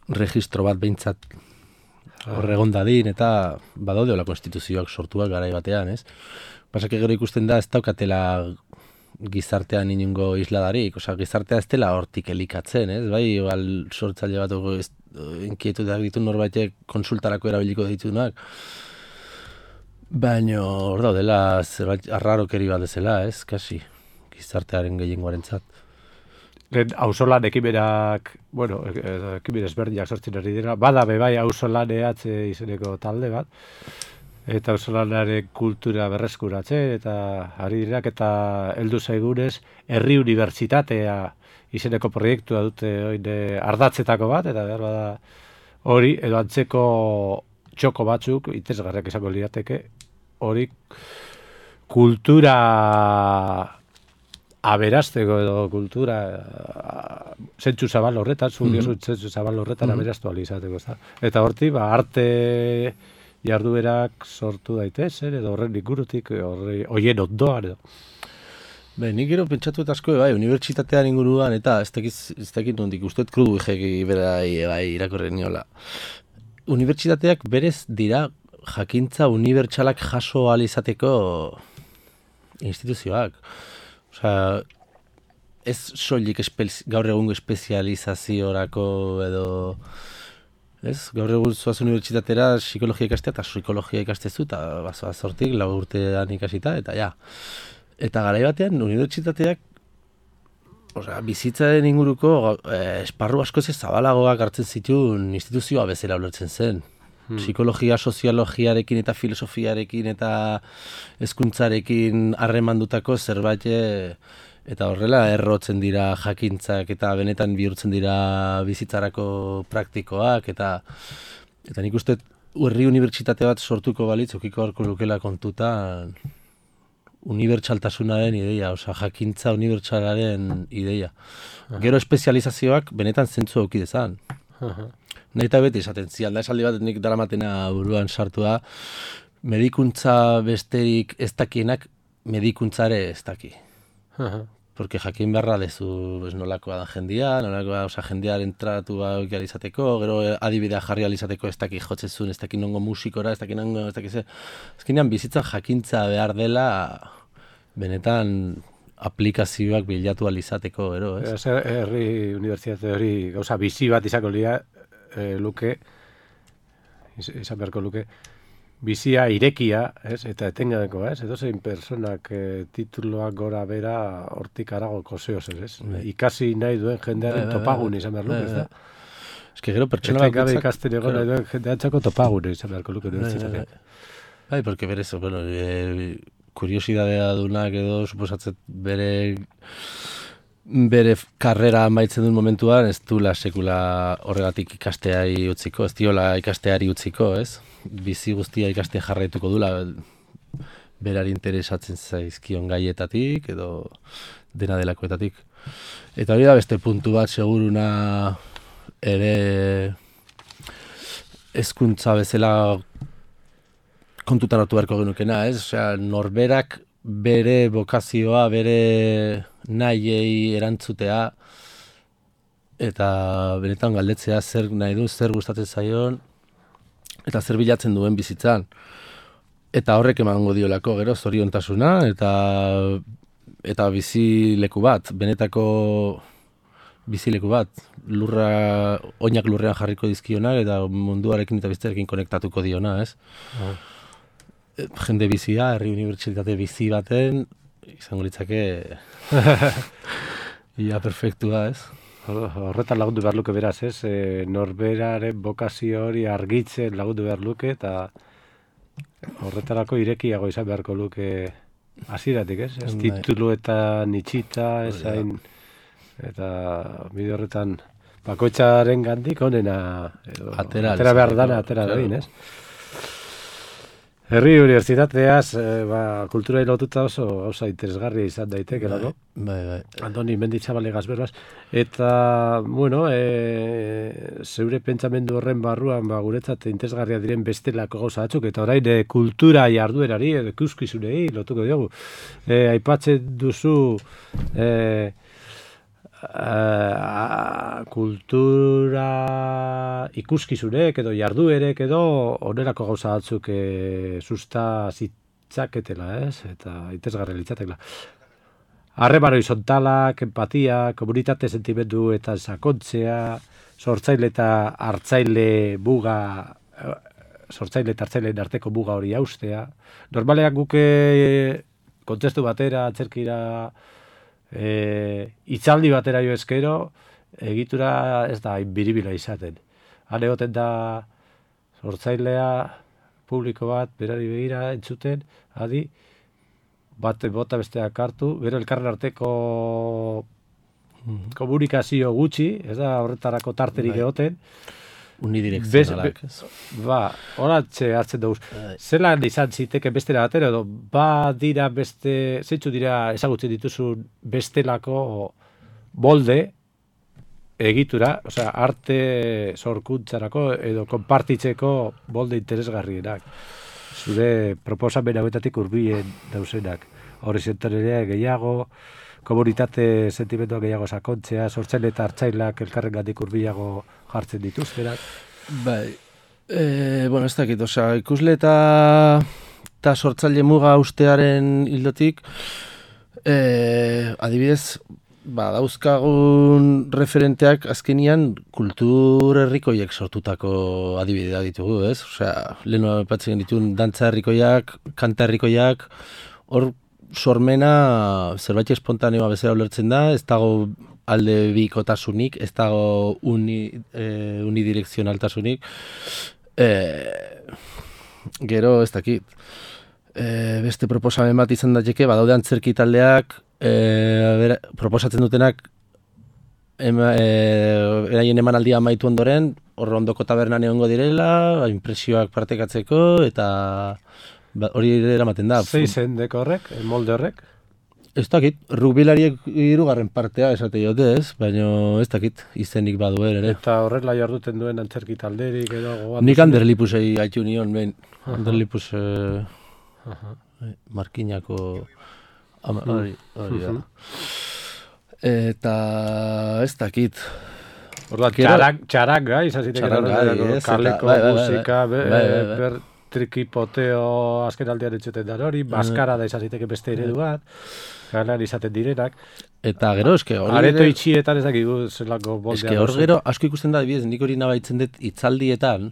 registro bat behintzat horregon dadin eta badaude hola konstituzioak sortuak garai batean, ez? Pasak gero ikusten da ez daukatela gizartean inungo isladarik, osea, gizartea ez dela hortik elikatzen, ez? Bai, igual sortzaile bat inkietutak ditu norbaitek konsultarako erabiliko ditunak. Baina hor daudela zerbait arrarokeri bat dezela, ez, kasi, gizartearen gehiengoarentzat. Lehen auzolan ekimenak, bueno, ekimen ezberdinak sortzen ari dira, bada bebai auzolan ehatze izeneko talde bat, eta auzolanaren kultura berreskuratzen, eta ari dirak, eta heldu zaigunez, herri unibertsitatea izeneko proiektua dute ardatzetako bat, eta behar bada hori, edo antzeko txoko batzuk, interesgarriak izango lirateke, hori kultura aberasteko edo kultura zentzu zabal horretan, zentzu zabal horretan aberastu alizateko. Eta horti, arte jarduerak sortu daitezen, edo horren ingurutik, horien ondoan edo. Nik gero pentsatu eta asko, unibertsitatean inguruan, eta ez dakit nondik, usteet krudu egeki berai irakorren niola. Unibertsitateak berez dira jakintza unibertsalak jaso alizateko instituzioak. Osea, ez soilik gaur egungo espezializaziorako edo... Ez, gaur egun zoaz unibertsitatera psikologia ikastea eta psikologia ikastezu eta bazoaz hortik 4 urtean ikasita eta ja. Eta garai batean unibertsitateak bizitzaren inguruko esparru askoz zabalagoak hartzen zituen instituzioa bezala ulertzen zen. Psikologia, soziologiarekin eta filosofiarekin eta hezkuntzarekin harremandutako zerbait eta horrela errotzen dira jakintzak eta benetan bihurtzen dira bizitzarako praktikoak eta nik uste herri unibertsitate bat sortuko balitz ukiko harko lukela kontutan unibertsaltasunaren ideia, jakintza unibertsalaren ideia. Gero espezializazioak benetan zentzu auki dezan. Nahi eta beti esaten zian, da esaldi bat nik daramatena buruan sartua, medikuntza besterik ez dakienak medikuntzare ez daki. Porque jakin beharra dezu nolakoa da jendia, nolakoa jendiaren tratu izateko, gero adibidea jarri alizateko ez daki jotzezun, ez daki nongo musikora, ez daki nongo, ez daki ze. Azkenean bizitzan jakintza behar dela benetan aplikazioak bilatu alizateko, ero, ez? Herri unibertsitate hori gauza bizi bat izango luke, izan beharko luke, bizia irekia, ez? Eta etengabeko, ez? Edozein personak tituloak gora bera hortik arago koseoz, ez? Ikasi nahi duen jendearen topagun izan behar luke, ez da? Ez que gero pertsona bat gabe ikasten egon nahi duen jendeantzako topagun izan beharko luke unibertsitatea. Bai, porque berez, bueno, kuriosidadea dunak edo suposatzen bere karrera amaitzen duen momentuan ez duela sekula horregatik ikasteari utziko, ez diola ikasteari utziko, ez? Bizi guztia ikaste jarraituko dula berari interesatzen zaizkion gaietatik edo dena delakoetatik. Eta hori da beste puntu bat seguruna ere hezkuntza bezala kontutan hartu beharko genukena, ez? Osea, norberak bere bokazioa, bere nahiei erantzutea eta benetan galdetzea zer nahi du, zer gustatzen zaion eta zer bilatzen duen bizitzan. Eta horrek emango diolako gero zoriontasuna eta bizileku bat, benetako bizileku bat, oinak lurrean jarriko dizkionak eta munduarekin eta bizitzarekin konektatuko diona, ez? Jende bizia, herri unibertsitate bizi baten, izango litzake ia perfektua, ez? Horretan lagundu behar luke beraz, ez? Norberaren bokazio hori argitzen lagundu behar luke, eta horretarako irekiago izan beharko luke hasieratik, ez? Ez tituluetan itxita, ezain, eta bide horretan bakoitzaren gandik onena atera behar dana, atera dadin, ez? Herri unibertsitateaz, kultura lotuta oso gauza interesgarria izan daiteke, no? Bai. Andoni Mendizabale gazberbaz. Eta, bueno, zeure pentsamendu horren barruan, guretzat interesgarria diren bestelako gauza batzuk, eta orain kultura jarduerari, ikuskizunei lotuko diogu. Aipatzen duzu kultura ikuskizunek edo jarduerek edo onerako gauza batzuk susta zitzaketela, ez? Eta interesgarria litzatekela. Harreman horizontalak, empatia, komunitate sentimendu eta sakontzea, sortzaile eta hartzaile muga sortzaile eta hartzaileen arteko muga hori haustea. Normalean guk kontestu batera, atzerkira, hitzaldi batera jo eskero, egitura ez da biribila izaten. Han egoten da sortzailea, publiko bat, berari begira, entzuten, adi, bat bota besteak hartu, gero elkarren arteko komunikazio gutxi, ez da horretarako tarterik egoten. Unidirekzionalak. Horatxe hartzen dugu. Zelan izan ziteke bestera batera, edo dira beste, zeitzu dira ezagutzen dituzun bestelako molde egitura, osea, arte sorkuntzarako edo konpartitzeko molde interesgarrienak. Zure proposamen hauetatik hurbilen dauzenak. Horizontalera gehiago, komunitate sentimenduak gehiago sakontzea, sortzaile eta hartzailak elkarrengatik hurbilago jartzen dituztenak. Bai, ez dakit, osea, ikusle eta sortzaile muga ustearen hildotik, adibidez, dauzkagun referenteak azkenian kultur herrikoiek sortutako adibidea ditugu, ez? Osea, lehenu aipatzen dituen dantza herrikoiak, kanta herrikoiak, hor sormena zerbait espontaneoa bezala ulertzen da, ez dago alde bikotasunik, ez dago unidirekzionaltasunik. Gero, ez dakit, beste proposamen bat izan daiteke, badaude antzerki taldeak, proposatzen dutenak, eraien emanaldia amaitu ondoren, hor ondoko tabernan egongo direla, impresioak partekatzeko, eta hori eramaten da. Zeizen deko horrek, molde horrek? Ez dakit, rugbilariek 3. partea esate jote ez, baina ez dakit izenik badu ere. Eta horrela jarduten duen antzerki talderik edo... Nik Anderlipusei haitu nion, Anderlipus Markinako hori da. Eta ez dakit. Orduan, txaranga, izan zitek kaleko musika, trikipoteo azken aldean entzuten da hori, maskara da izan ziteke beste eredu bat, galan izaten direnak. Eta gero, eske hori... Areto itxietan ez dakigu zelako boldea. Eske hor gero, asko ikusten da, nik hori nabaitzen dut hitzaldietan,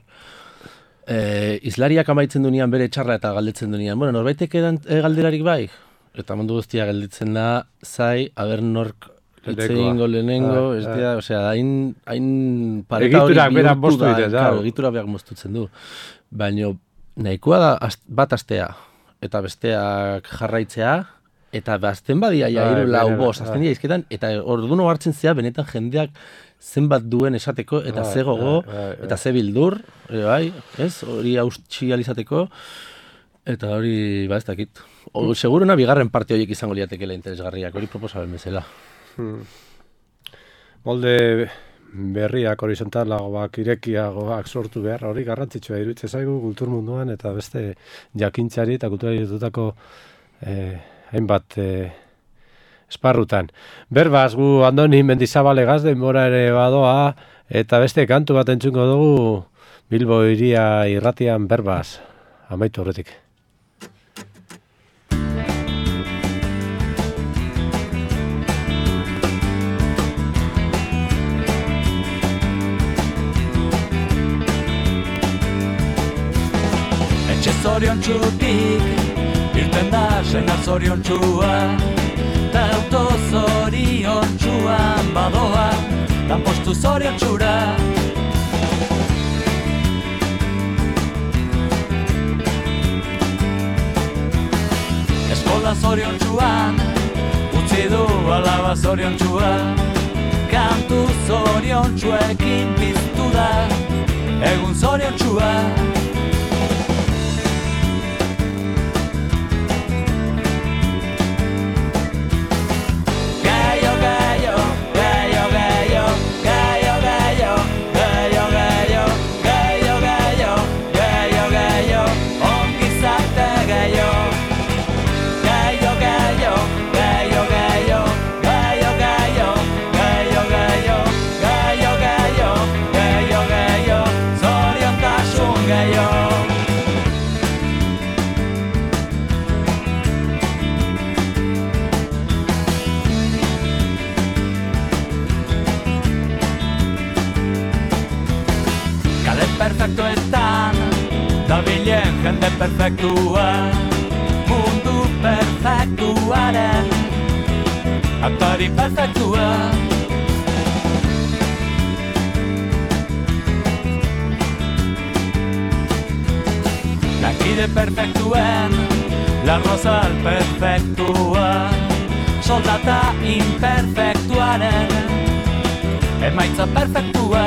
izlariak amaitzen dunean bere txarra eta galdetzen dunean. Bueno, norbaitek galderarik bai? Eta mundu guztia galdetzen da, zai, aber nork itzeingo lehenengo, ez dira, osea, hain pareta hori bihurtu da, egitura behar moztutzen du. Baina, nahikoa da bat astea, eta besteak jarraitzea, eta bazten badia hiru lau bost, azten dira izketan, eta orduno hartzen zea, benetan jendeak zenbat duen esateko, eta ze gogo, eta ze bildur, ez, hori haustsi alizateko, eta hori, ez dakit. Seguruna bigarren parte horiek izango liatekela interesgarriak, hori proposamen bezala. Molde berriak horizontalagoak, irekiagoak sortu behar, hori garrantzitsua iruditzen zaigu kultur munduan eta beste jakintzari eta kulturari dutako hainbat esparrutan. Berbaz, gu Andoni Mendizabalegaz denbora ere badoa eta beste kantu bat entzungo dugu Bilbo hiria irratian Berbaz, amaitu horretik. Zoriontsutik, irten da sena zoriontsua, ta auto zoriontsuan badoa, lanpostu zoriontsura. Eskola zoriontsuan, utzi du alaba zoriontsua, kantu zoriontsuekin piztu da, egun zoriontsua. Gaio dabilen jende perfektua, mundu perfektuaren atari perfektua. Lankide perfektuen, la rosal perfektua, soldata imperfektuaren emaitza perfektua.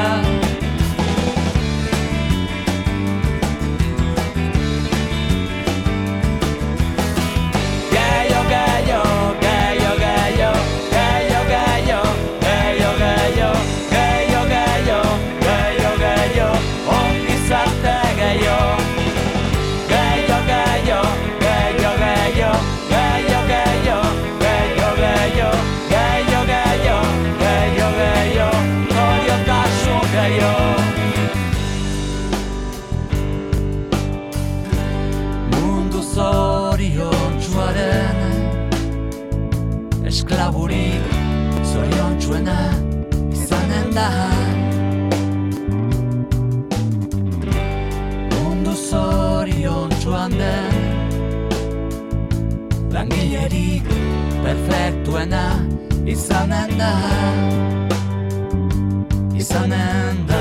Mundu zoriontsuaren esklaburik zoriontsuena izanen da. Mundu zoriontsuan den langilerik perfektuena izanen da. Izanen da.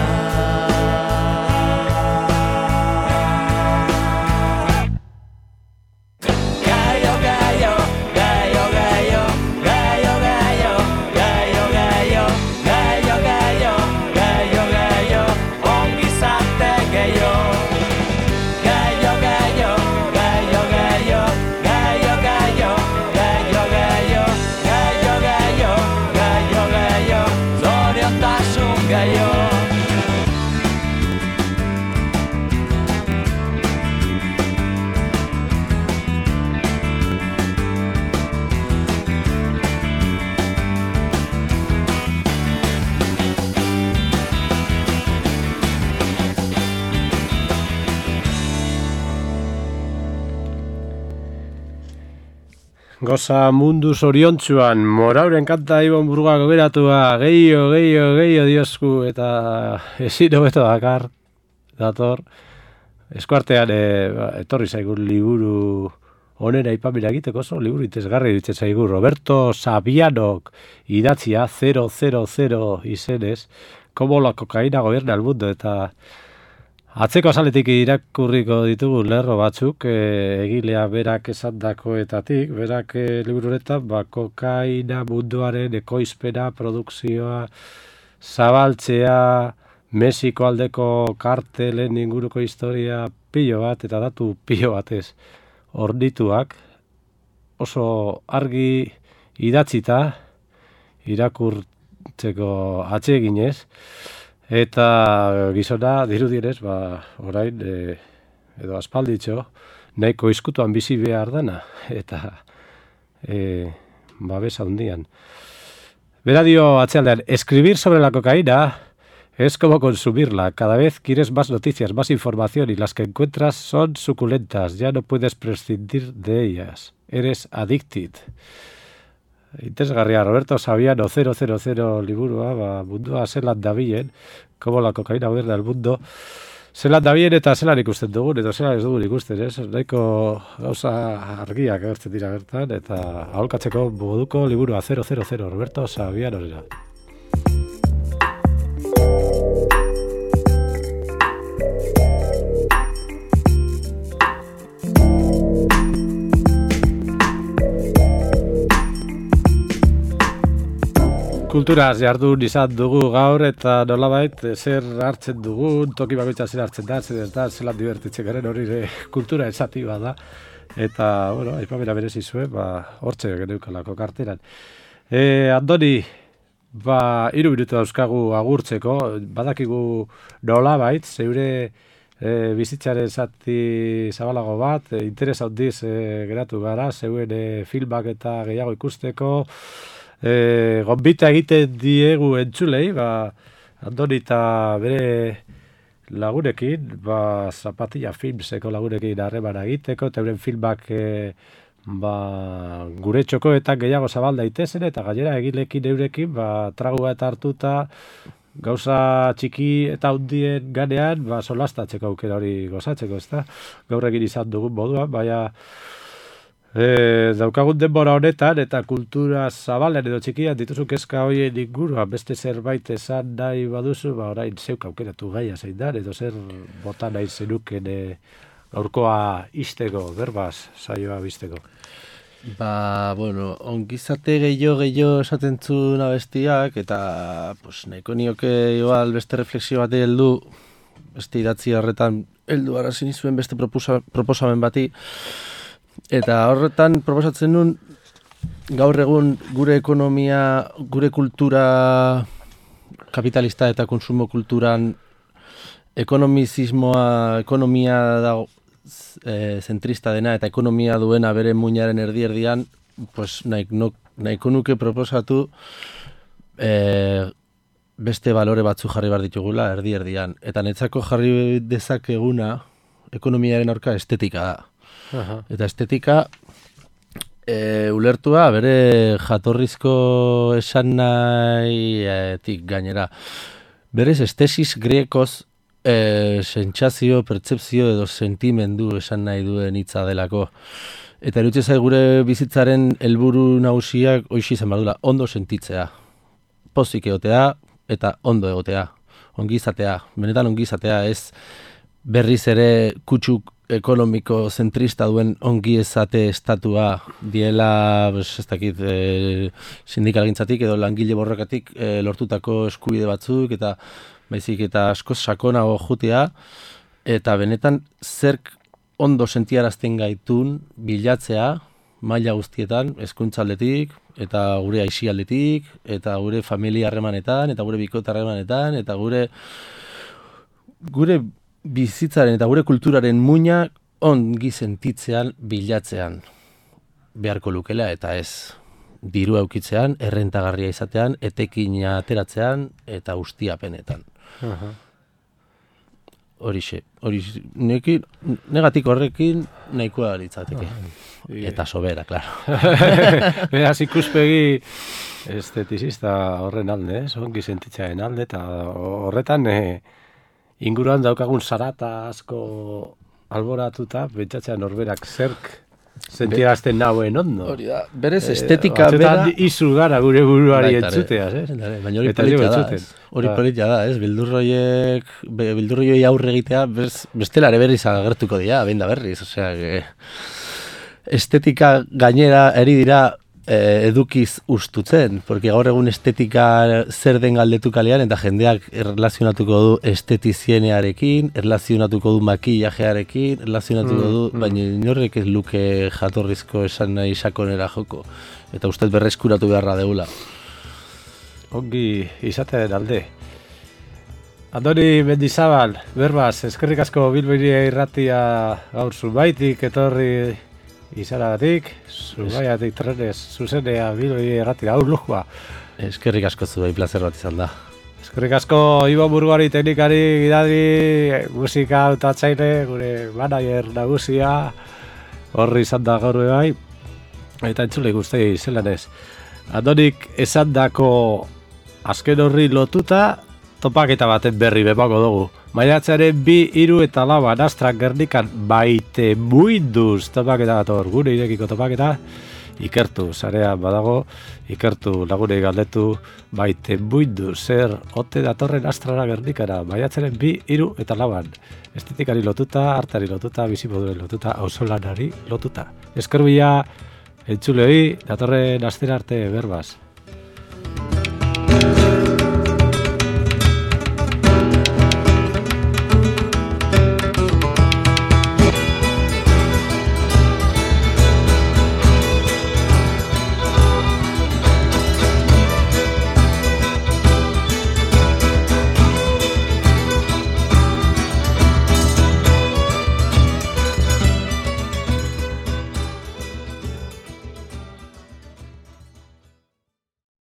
Goza mundu zoriontsuan, Morauren kanta Ibon Burugako geratua, gehiago diosku, eta ezin hobeto dakar, dator. Eskuartean etorri zaigun liburu onera ipamira egiteko, oso liburu itezgarri ditzen zaigu, Roberto Savianok idatzia 000 izenez, como la cocaína gobierna el mundo, eta atzeko azaletik irakurriko ditugu lerro batzuk, egilea berak esandakoetatik, berak libururetan, kokaina munduaren ekoizpena, produkzioa, zabaltzea, Mexiko aldeko kartelen inguruko historia pilo bat, eta datu pilo batez ordituak, oso argi idatzita, irakurtzeko atseginez, eta gizona dirudienez, orain, edo aspalditxo, nahiko izkutuan bizi behar dana, eta babesa hundian. Bera dio atzealdean, escribir sobre la cocaína es como consumirla. Cada vez quieres más noticias, más información, y las que encuentras son suculentas. Ya no puedes prescindir de ellas. Eres addicted. Interesgarria, Roberto Saviano 000 liburua, mundua zelan dabilen, como la cocaína gobierna el mundo, zelan dabilen eta zelan ikusten dugun, eta zelan ez dugun ikusten, ez? Nahiko gauza argiak agertzen dira bertan, eta aholkatzeko moduko liburua 000 Roberto Saviano. Kulturaz jardun izan dugu gaur, eta nolabait zer hartzen dugun, toki bakoitza zer hartzen da, zer ez da, zelan divertitzen garen hori kultura esati da. Eta, bueno, aipamena berezi zuen, hortxe geneukalako karteran. Andoni, 3 minutu dauzkagu agurtzeko, badakigu nolabait, zeure bizitzaren zati zabalago bat, interes handiz geratu gara, zeuen filmak eta gehiago ikusteko, gonbita egiten diegu entzulei, Andoni eta bere lagunekin, Zapatilla Filmseko lagunekin harremana egiteko, eta euren filmak gure txokoetan gehiago zabal daitezen, eta gainera egilekin eurekin, tragua eta hartuta, gauza txiki eta handien ganean, solastatzeko aukera hori gozatzeko, ezta? Gaur egin izan dugun modua, baina daukagun denbora honetan eta kultura zabalen edo txikian dituzu kezka horien inguruan beste zerbait esan nahi baduzu, orain zeuk aukeratu gaia zein da, edo zer bota nahi zenuken gaurkoa isteko, berbaz, saioa bizteko. Ongizate gehiago esaten zuen abestiak, eta nahiko nioke igual beste refleksio bat heldu, beste idatzi horretan heldu arazin izuen beste proposamen bati, eta horretan proposatzen nun gaur egun gure ekonomia, gure kultura kapitalista eta konsumo kulturan ekonomia dago zentrista dena eta ekonomia duena bere muinaren erdi-erdian, nahiko nuke proposatu beste balore batzu jarri behar ditugula erdi-erdian. Eta netzako jarri dezakeguna ekonomiaren aurka estetika da. Eta estetika ulertua bere jatorrizko esan nahitik gainera. Berez estesis griekoz sentsazio, pertzepzio edo sentimendu esan nahi duen hitza delako. Eta iruditzen zait gure bizitzaren helburu nagusiak hoxe izan behar duela, ondo sentitzea. Pozik egotea eta ondo egotea. Ongizatea, benetan ongizatea, ez berriz ere kutsu ekonomiko zentrista duen ongizate estatua diela, ez dakit, sindikalgintzatik edo langile borrokatik lortutako eskubide batzuk eta baizik eta askoz sakonago jutea, eta benetan zerk ondo sentiarazten gaitun bilatzea maila guztietan, hezkuntza aldetik, eta gure aisi aldetik, eta gure familia harremanetan, eta gure bikote harremanetan, eta gure bizitzaren eta gure kulturaren muina ongi sentitzean bilatzean beharko lukela, eta ez diru aukitzean, errentagarria izatean, etekina ateratzean, eta ustiapenetan. Horixe, negatik horrekin nahikoa litzateke. Eta sobera, klaro. Beraz ikuspegi esteticista horren alde, ongi sentitzearen alde, eta horretan inguruan daukagun zarata asko alboratuta, bentsatzean norberak zerk sentiarazten nauen ondo. Hori da, berez estetika bera... Izu gara gure buruari entzuteaz, baina hori politia da, ez? Bildurroiei aurre egitea, bestelare berriz agertuko dira, behin da berriz, osea, estetika gainera eri dira edukiz ustutzen, porque gaur egun estetika zer den galdetu kalean, eta jendeak erlazionatuko du estetizienearekin, erlazionatuko du makillajearekin, erlazionatuko du, baina inorrek ez luke jatorrizko esan nahi sakonera joko. Eta ustez berreskuratu beharra deula. Ongi izatearen alde. Andoni Mendizabal, berbaz, eskerrik asko Bilboiria irratia gaur zubaitik, etorri izaragatik, zubaiatik trenez, zuzenea Bilboiria irratia, gaur lujua. Eskerrik asko zuei, plazer bat izan da. Eskerrik asko Ibo Burgari, teknikari, gidari, musika autatzaile, gure manager nagusia, horri izan da gaur bai, eta entzule guztei zelan ez. Andonik esan dako azken horri lotuta, topaketa baten berri bepako dugu. Maiatzaren 2, 3 eta 4 Nastran Gernikan baite muinduz topaketa bat hor, gure irekiko topaketa, ikertu, sarean badago, ikertu lagunei galdetu baite muinduz, zer ote datorren Nastrara Gernikara, maiatzaren 2, 3 eta 4. Estetikari lotuta, artari lotuta, bizimoduen lotuta, auzolanari lotuta. Eskerbila entzulei, datorren astera arte berbaz.